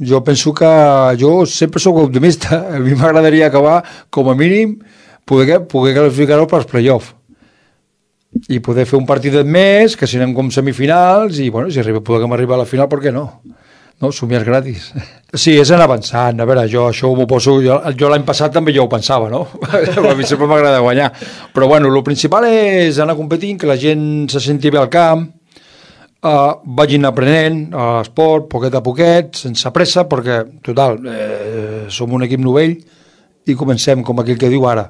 Jo penso que jo sempre sóc optimista. A mi m'agradaria acabar, com a mínim, poder qualificar-ho pels play-off i poder fer un partidet més, que si anem com semifinals, i bueno, si podem arribar a la final, per què no? No, somiar gratis. Sí, és anar avançant. A veure, jo això m'ho poso... Jo l'any passat també ja ho pensava, no? A mi sempre m'agrada guanyar. Però bueno, el principal és anar competint, que la gent se senti bé al camp, vagin aprenent a l'esport, poquet a poquet, sense pressa, perquè, total, som un equip novell i comencem, com aquell que diu ara.